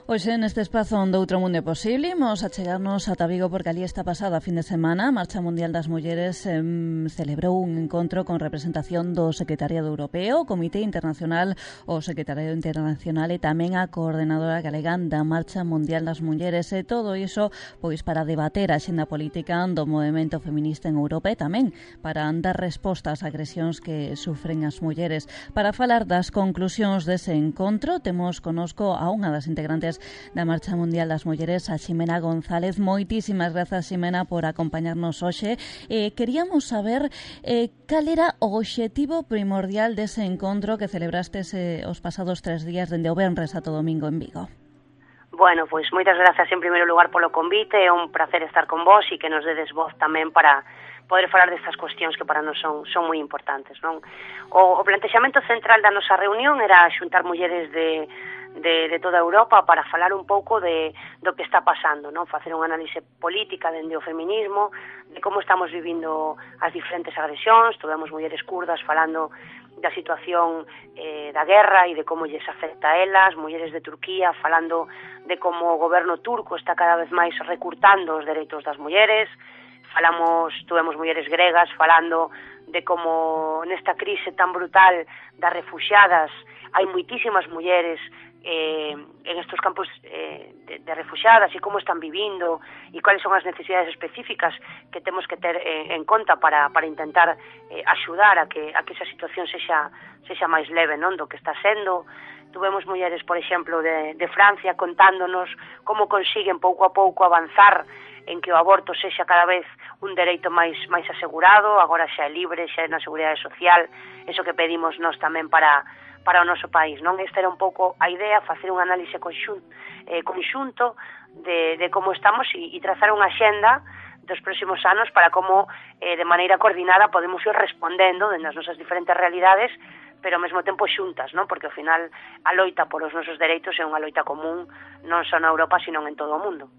Hoxe neste espazo onde outro mundo é posible imos a chegarnos ata Vigo porque ali esta pasada fin de semana a Marcha Mundial das Mulleres celebrou un encontro con representación do Secretariado Europeo, o Comité Internacional, o Secretariado Internacional e tamén a Coordenadora Galega da Marcha Mundial das Mulleres e todo iso pois para debater a xenda política do movemento feminista en Europa e tamén para dar resposta ás agresións que sufren as mulleres. Para falar das conclusións dese encontro temos conosco a unha das integrantes da Marcha Mundial das Mulleres, a Ximena González. Moitísimas grazas, Ximena, por acompañarnos hoxe. Queríamos saber cal era o obxectivo primordial dese encontro que celebrastes os pasados 3 días dende o venres ata o domingo en Vigo. Bueno, pois moitas grazas en primeiro lugar polo convite, é un placer estar con vos e que nos dedes voz tamén para poder falar destas cuestións que para nós son moi importantes, non? O plantexamento central da nosa reunión era xuntar mulleres de toda Europa para falar un pouco do que está pasando, non? Facer unha análise política dende o feminismo, de como estamos vivindo as diferentes agresións. Tuvemos mulleres kurdas falando da situación da guerra e de como lles afecta a elas, mulleres de Turquía falando de como o goberno turco está cada vez máis recurtando os dereitos das mulleres. Tuvemos mulleres gregas falando de como nesta crise tan brutal das refuxiadas hai moitísimas mulleres en estos campos de refuxiadas e como están vivindo e cuáles son as necesidades específicas que temos que ter en conta para intentar axudar a que esa situación sexa máis leve, non, do que está sendo. Tuvemos mulleres, por exemplo, de Francia contándonos como consiguen pouco a pouco avanzar en que o aborto sexa cada vez un dereito máis asegurado, agora xa é libre, xa é na Seguridade Social, eso que pedimos nós tamén para o noso país, non? Esta era un pouco a idea, facer un análise conxunto de como estamos e trazar unha axenda dos próximos anos para como de maneira coordinada podemos ir respondendo nas nosas diferentes realidades, pero ao mesmo tempo xuntas, non? Porque ao final a loita polos nosos dereitos é unha loita común non só na Europa, sino en todo o mundo.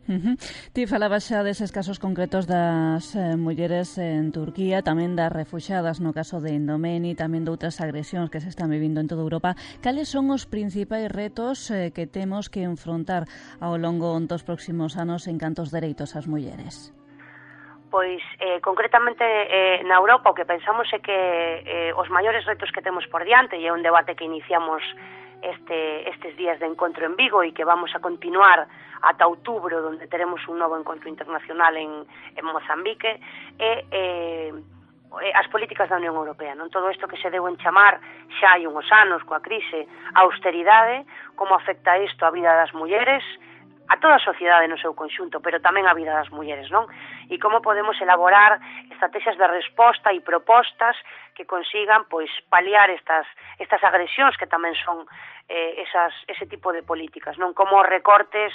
Ti falabas xa deses casos concretos das mulleres en Turquía, tamén das refuxiadas no caso de Indomeni, tamén de outras agresións que se están vivindo en toda Europa. Cales son os principais retos que temos que enfrontar ao longo dos próximos anos en canto aos dereitos ás mulleres? Pois, concretamente na Europa o que pensamos é que os maiores retos que temos por diante, e é un debate que iniciamos estes días de encontro en Vigo e que vamos a continuar ata outubro, onde teremos un novo encontro internacional en Mozambique, as políticas da Unión Europea, non? Todo isto que se deu en chamar xa hai uns anos coa crise a austeridade, como afecta isto a vida das mulleres, a toda a sociedade no seu conxunto, pero tamén a vida das mulleres, non? E como podemos elaborar estrategias de resposta e propostas que consigan, pois, paliar estas agresións que tamén son ese tipo de políticas, non? Como os recortes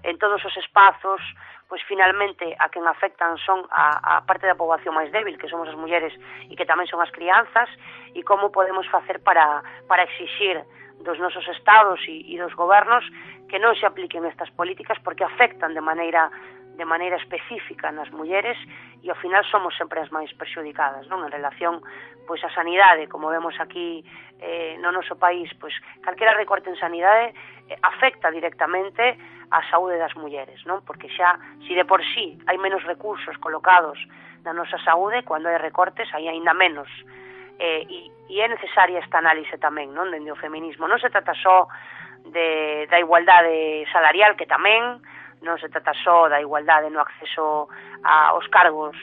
en todos os espazos, pois, finalmente, a quen afectan son a parte da poboación máis débil, que somos as mulleres e que tamén son as crianzas, e como podemos facer para exixir dos nosos estados e dos gobernos que non se apliquen estas políticas porque afectan de maneira específica nas mulleres e ao final somos sempre as máis perxudicadas, non? En relación pois a sanidade, como vemos aquí no noso país, pois calquera recorte en sanidade afecta directamente a saúde das mulleres, non? Porque xa, se de por sí hai menos recursos colocados na nosa saúde, cando hai recortes hai aínda menos. E é necesaria esta análise tamén, non? Dende o feminismo non se trata só da igualdade salarial, que tamén non se trata só da igualdade no acceso aos cargos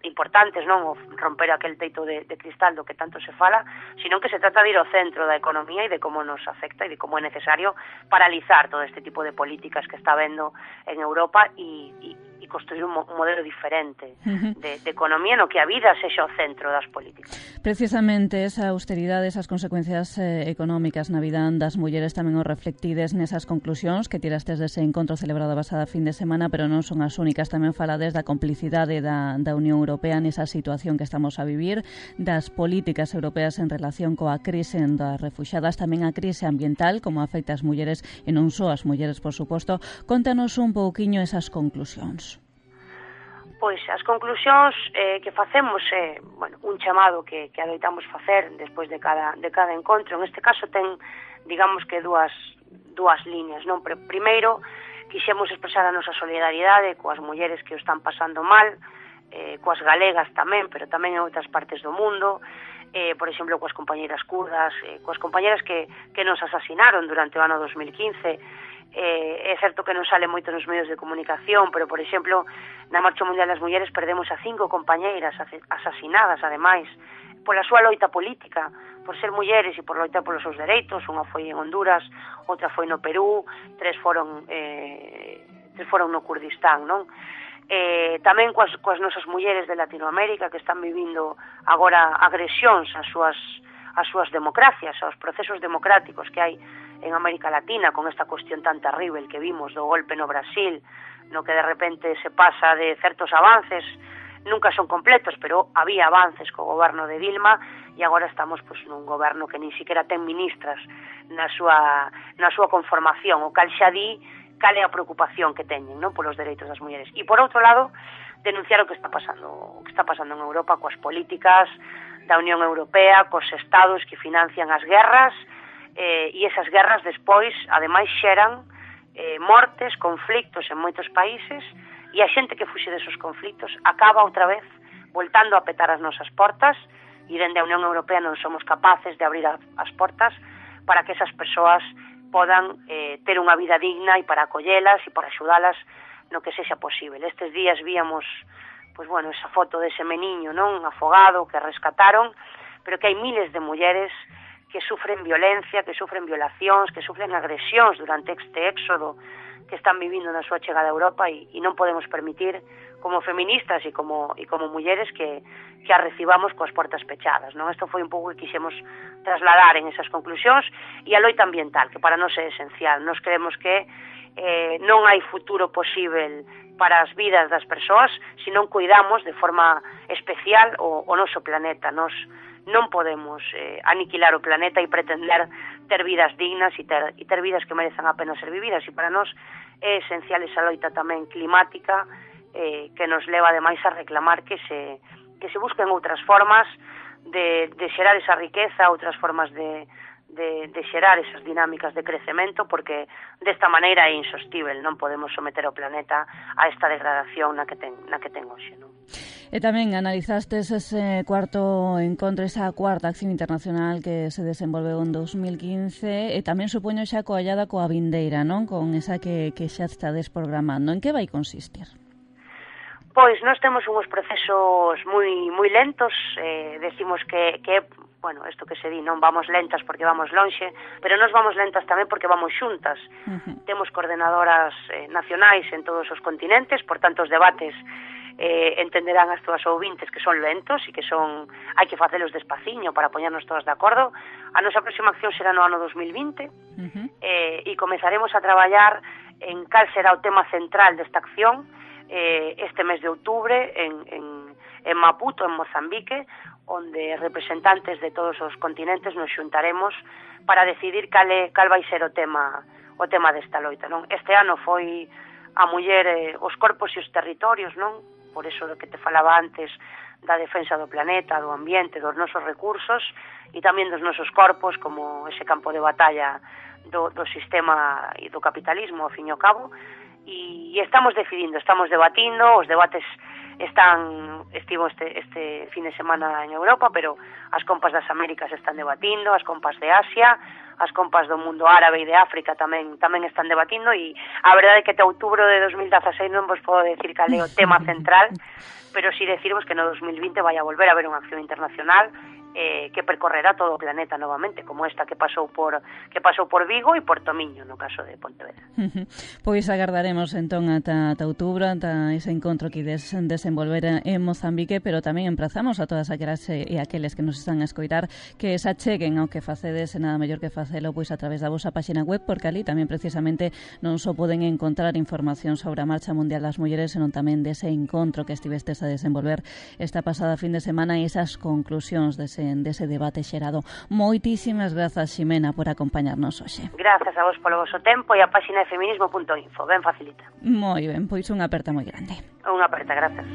importantes, non? O romper aquel teito de cristal do que tanto se fala, sino que se trata de ir ao centro da economía e de como nos afecta e de como é necesario paralizar todo este tipo de políticas que está vendo en Europa e construir un modelo diferente de economía no que a vida sexa o centro das políticas. Precisamente esa austeridade, esas consecuencias económicas na vida das mulleres tamén os reflectides nesas conclusións que tirastes dese encontro celebrado a pasada fin de semana, pero non son as únicas. Tamén falades da complicidade da Unión Europea nesa situación que estamos a vivir, das políticas europeas en relación coa crise das refuxiadas, tamén a crise ambiental, como afecta as mulleres e non só as mulleres, por suposto. Contanos un pouquiño esas conclusións. Pois as conclusións que facemos é, un chamado que adoitamos facer despois de cada encontro. En este caso ten, digamos que dúas dúas líneas, non? Primeiro, quixemos expresar a nosa solidariedade coas mulleres que o están pasando mal, coas galegas tamén, pero tamén en outras partes do mundo, por exemplo, coas compañeiras kurdas, coas compañeiras que nos asasinaron durante o ano 2015. É certo que non sale moito nos medios de comunicación, pero, por exemplo, na Marcha Mundial das Mulleres perdemos a 5 compañeiras asasinadas, ademais, pola súa loita política, por ser mulleres e por loitar polos seus dereitos. Unha foi en Honduras, outra foi no Perú, 3 foron no Kurdistán, non? Tamén coas nosas mulleres de Latinoamérica que están vivindo agora agresións ás súas democracias, aos procesos democráticos que hai en América Latina, con esta cuestión tan terrible que vimos do golpe no Brasil, no que de repente se pasa de certos avances, nunca son completos, pero había avances co goberno de Dilma, e agora estamos nun goberno que nin siquiera ten ministras na súa conformación, o cal xa di cal é a preocupación que teñen, non, polos dereitos das mulleres. E por outro lado, denunciar o que está pasando en Europa coas políticas da Unión Europea, cos estados que financian as guerras, e esas guerras despois, ademais, xeran mortes, conflictos en moitos países, e a xente que fuxe desos conflictos acaba outra vez voltando a petar as nosas portas, e dende a Unión Europea non somos capaces de abrir as portas para que esas persoas podan ter unha vida digna e para acollelas e para axudalas no que sexa posible. Estes días víamos esa foto dese meniño, non, afogado, que rescataron, pero que hai miles de mulleres que sufren violencia, que sufren violacións, que sufren agresións durante este éxodo que están vivindo na súa chegada a Europa, e non podemos permitir, como feministas e como mulleres, que a recibamos coas portas pechadas, non? Isto foi un pouco que quixemos trasladar en esas conclusións, e a loita ambiental, que para nós é esencial. Nós creemos que non hai futuro posible para as vidas das persoas se non cuidamos de forma especial o noso planeta. Nós non podemos aniquilar o planeta e pretender ter vidas dignas e ter vidas que merezan a pena ser vividas, e para nós é esencial esa loita tamén climática que nos leva ademais a reclamar que se busquen outras formas de xerar esa riqueza, outras formas de xerar esas dinámicas de crecemento, porque desta maneira é insostible, non podemos someter o planeta a esta degradación na que ten hoxe, non? E tamén analizastes ese cuarto encontro, esa cuarta acción internacional que se desenvolveu en 2015, e tamén supoño xa coallada coa vindeira, non? Con esa que xa estades programando. En que vai consistir? Pois nós temos uns procesos moi lentos, decimos que isto que se di, non vamos lentas porque vamos lonxe, pero nós vamos lentas tamén porque vamos xuntas. Temos coordenadoras nacionais en todos os continentes, por tanto os debates entenderán as túas ouvintes que son lentos e que hai que facelos despaciño para poñernos todas de acordo. A nosa próxima acción será no ano 2020 e comezaremos a traballar en cal será o tema central desta acción este mes de outubro en Maputo, en Mozambique, onde representantes de todos os continentes nos xuntaremos para decidir cal vai ser o tema desta loita, non? Este ano foi a muller, os corpos e os territorios, non? Por eso do que te falaba antes da defensa do planeta, do ambiente, dos nosos recursos e tamén dos nosos corpos como ese campo de batalla do sistema e do capitalismo, ao fin e ao cabo, e estamos decidindo, estamos debatindo, os debates estivo este fin de semana en Europa, pero as compas das Américas están debatindo, as compas de Asia, as compas do mundo árabe e de África tamén están debatindo, e a verdade é que até outubro de 2016 non vos podo decir cal é o tema central, pero si decirvos que no 2020 vai a volver a haber unha acción internacional que percorrerá todo o planeta novamente, como esta que pasou por Vigo e por Tomiño, no caso de Pontevedra. Pois agardaremos entón ata outubro, ata ese encontro que desenvolver en Mozambique, pero tamén emprazamos a todas aquelas e aqueles que nos están a escoitar que se acheguen ao que facedes, nada mellor que facelo pois a través da vosa páxina web, porque ali tamén precisamente non só poden encontrar información sobre a Marcha Mundial das Mulleres, senón tamén dese encontro que estivestes a desenvolver esta pasada fin de semana e esas conclusións dese debate xerado. Moitísimas grazas, Ximena, por acompañarnos hoxe. Grazas a vos polo voso tempo e a páxina de feminismo.info, ben facilita. Moi ben, pois unha aperta moi grande. Unha aperta, grazas.